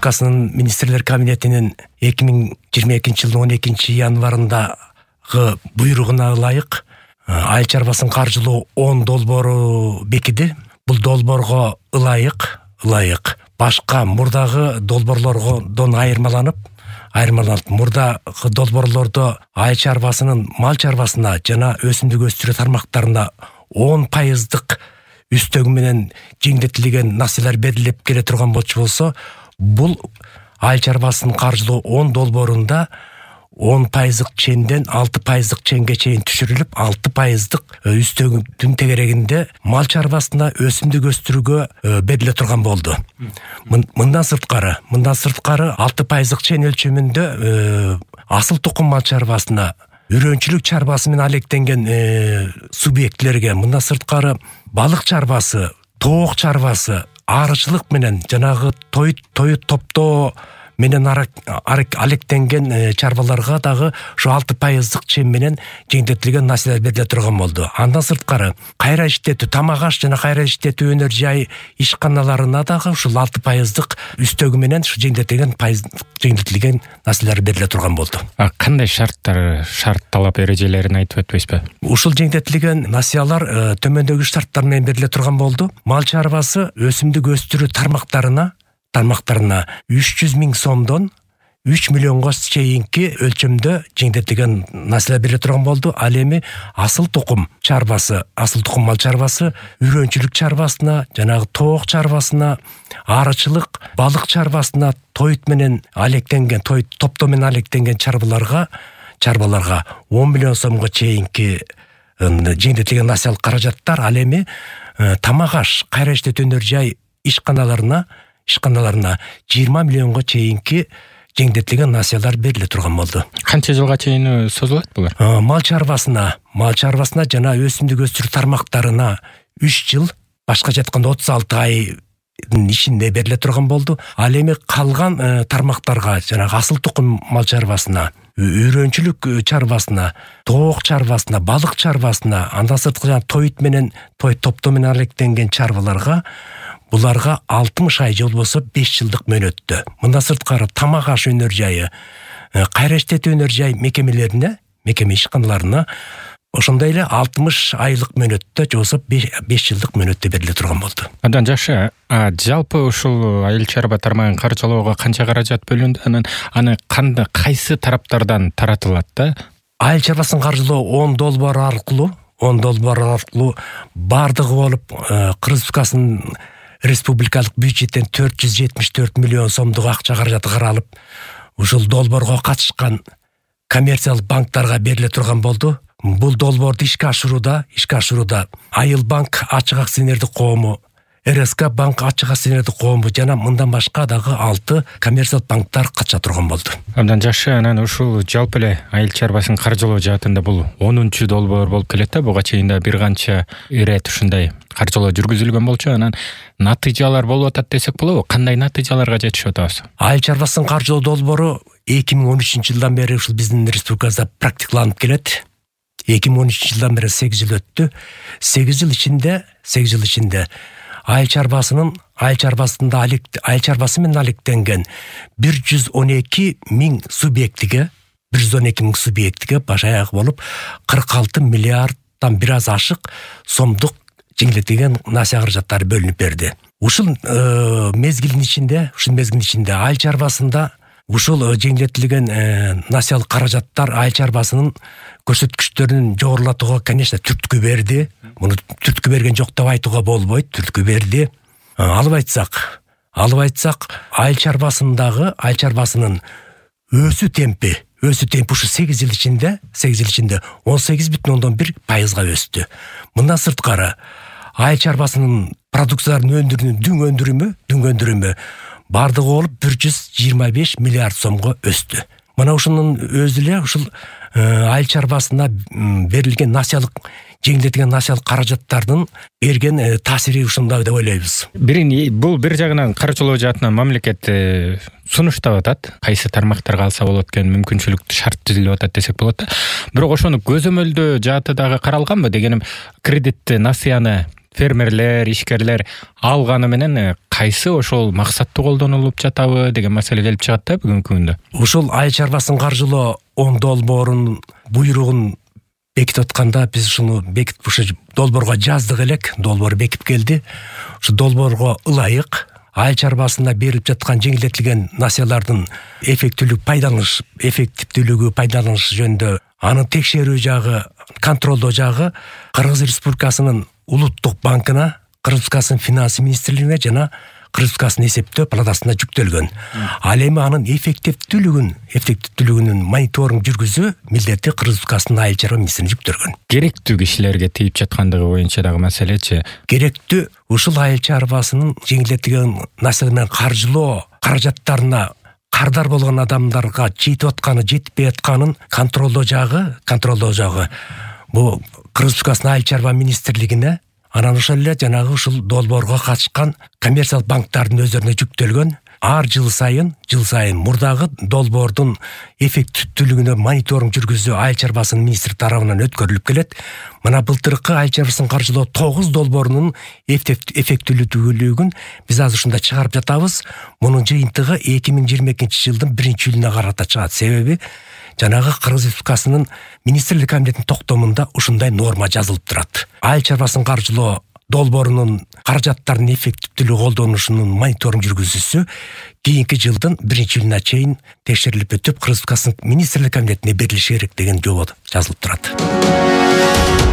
Республикасынын министрлер кабинетинин 2022 жылдын 12 январындагы буйругуна ылайык айыл чарбасын каржылоо 10 долбоору бекиди. Бул долбоорго ылайык башка мурдагы долбоорлордон айырмаланып мурдагы долбоорлордо айыл чарбасынын мал чарбасына жана өсүмдүк өстүрүү тармактарына 10% үстөгү менен жеңдетилген насыялар берилип келе турган болчу, бул айыл чарбасын каржылоо 10 долбоорунда 10% ченден 6% ченге чейин түшүрүлүп, 6% үстөгүнүн тегерегинде мал чарбасына өсүмдүк өстүрүүгө бериле турган болду. Мындан сырткары 6% чен өлчөмүндө асыл тукум мал чарбасына, үрөнчүлүк чарбасы менен алектенген субъектилерге, мындан сырткары балык чарбасы, тоок чарбасы, арычылык менен жанагы той топтоо менен алектенген чарбаларга дагы ушу 6% чен менен жеңдетилген насыялар бериле турган болду. Андан сырткары кайра иштетүү, тамак аш жана кайра иштетүү өнөр жай ишканаларына дагы ушул 6% үстөгү менен ушу жеңдетилген насыялар бериле турган болду. Кандай шарт талап эрежелерин айтып өтпөйсүзбү? Ушул жеңдетилген насыялар төмөндөгү шарттар менен бериле турган болду. Мал чарбасы өсүмдүк өстүрүү тармактарына 300 000 сомдон 3 миллионго чейинки өлчөмдө жеңдетилген насыялар бериле турган болду. Ал эми асыл тукум мал чарбасы, үрөнчүлүк чарбасына, жанагы тоок чарбасына, арычылык, балык чарбасына, той топтоо менен алектенген чарбаларга 10 миллион сомго чейинки жеңдетилген насыял каражаттар, ал эми тамак аш, кайра иштетүү өнөр жай ишканаларына 20 миллионго чейинки жеңдетилген насыялар бериле турган болду. Канча жылга чейин созулат булар? Мал чарбасына жана өсүмдүк өстүрүү тармактарына 3 жыл, башка жатканда 36 айдын ичинде бериле турган болду. Ал эми калган тармактарга, жанагы асыл тукум мал чарбасына, үрөнчүлүк чарбасына, тоок чарбасына, балык чарбасына, андан сырткары той топтоо менен алектенген чарбаларга буларга 60 ай же болбосо 5 жылдык мөөнөттө. Мындан сырткары тамак аш өнөр жайы, кайра иштетүү өнөр жай мекеме ишканаларына ошондой эле 60 айлык мөөнөттө же болбосо 5 жылдык мөөнөттө бериле турган болду. Андан жакшы, жалпы ушул айыл чарба тармагын каржылоого канча каражат бөлүндү? Аны кайсы тараптардан таратылат да? Айыл чарбасын каржылоо 10 долбоор аркылуу бардыгы болуп Республикасынын республикалык бюджеттен 474 миллион сомдук акча каражаты каралып, ушул долбоорго катышкан коммерциялык банктарга бериле турган болду. Бул долбоорду ишке ашырууда Айыл банк ачык акционердик коому, РСК банк ачык акционердик коому жана мындан башка дагы 6 коммерциялык банктар катыша турган болду. Абдан жакшы. Анан ушул жалпы эле айыл чарбасын каржылоо жаатында бул 10-чу долбоор болуп келет да. Буга чейин да бир канча ирет ушундай каржылоо жүргүзүлгөн болчу. Анан натыйжалар болуп атат десек болобу? Кандай натыйжаларга жетишип атабыз? Айыл чарбасын каржылоо долбоору 2013 жылдан бери ушул биздин республикабызда практикаланып келет. 2013 жылдан бери 8 жыл өттү. 8 жыл ичинде айыл чарбасы менен алектенген 112 000 субъектиге баш аягы болуп 46 миллиарддан бир аз ашык сомдук жеңилдетилген насыя каражаттары бөлүнүп берди. Ушул мезгилдин ичинде айыл чарбасында ушул жеңилдетилген насыялык каражаттар айыл чарбасынын көрсөткүчтөрүн жогорулатууга, конечно, түрткү берди. Муну түрткү берген жок деп айтууга болбойт, түрткү берди. Алып айтсак, айыл чарбасынын өсүү темпи ушу 8 жыл ичинде 18,1% өстү. Мындан сырткары айыл чарбасынын продукцияларын дүң өндүрүмү бардыгы болуп 125 миллиард сомго өстү. Мына ушунун өзү эле ушул айыл чарбасына берилген жеңилдетилген насыялык каражаттардын берген таасири ушундай деп ойлойбуз. Бул бир жагынан каржылоо жаатынан мамлекет сунуштап атат, кайсы тармактарга алса болот экен, мүмкүнчүлүктүү шарт түзүлүп атат десек болот да. Бирок ошону көзөмөлдөө жааты дагы каралганбы? Дегеним, кредитти, насыяны фермерлер, ишкерлер алганы менен кайсы ошол максаттуу колдонулуп жатабы деген маселе келип чыгат да бүгүнкү күндө. Ушул айыл чарбасын каржылоо 10 долбоорунун буйругун бекитип атканда биз ушуну бекитип ушу долбоорго жаздык элек. Долбоор бекип келди. Ушу долбоорго ылайык айыл чарбасында берилип жаткан жеңилдетилген насыялардын эффективдүүлүгү пайдаланыш жөнүндө анын текшерүү жагы, контролдоо жагы Кыргыз Республикасынын Улуттук банкына, Кыргыз Республикасынын финанс министрлигине жана Кыргыз Республикасынын эсептөө палатасына жүктөлгөн. Ал эми анын эффективдүүлүгүнүн мониторинг жүргүзүү милдети Кыргыз Республикасынын айыл чарба министрлигине жүктөлгөн. Керектүү кишилерге тийип жаткандыгы боюнча дагы маселечи. Керектүү ушул айыл чарбасынын жеңилдетилген насыял менен каржылоо каражаттарына кардар болгон адамдарга жетип атканы, жетпей атканын контролдоо жагы. Бул Кыргыз Республикасынын айыл чарба министрлигине, анан ошол эле жанагы ушул долбоорго катышкан коммерциялык банктардын өздөрүнө жүктөлгөн. Ар жыл сайын мурдагы долбоордун эффективдүүлүгүнө мониторинг жүргүзүү айыл чарбасынын министрлик тарабынан өткөрүлүп келет. Мына былтыркы айыл чарбасын каржылоо 9 долбоорунун эффективдүүлүгүн биз азыр ушунда чыгарып жатабыз. Мунун жыйынтыгы 2022-жылдын 1-июлуна карата чыгат. Себеби жанагы Кыргыз Республикасынын министрлик комитетинин токтомунда ушундай норма жазылып турат. Айыл чарбасын каржылоо долбоорунун каражаттардын эффективдүүлүгү колдонушунун мониторинг жүргүзүүсү кийинки жылдын 1-июлуна чейин текшерилип өтүп, Кыргыз Республикасынын министрлик комитетине берилиши керек деген жобо жазылып турат.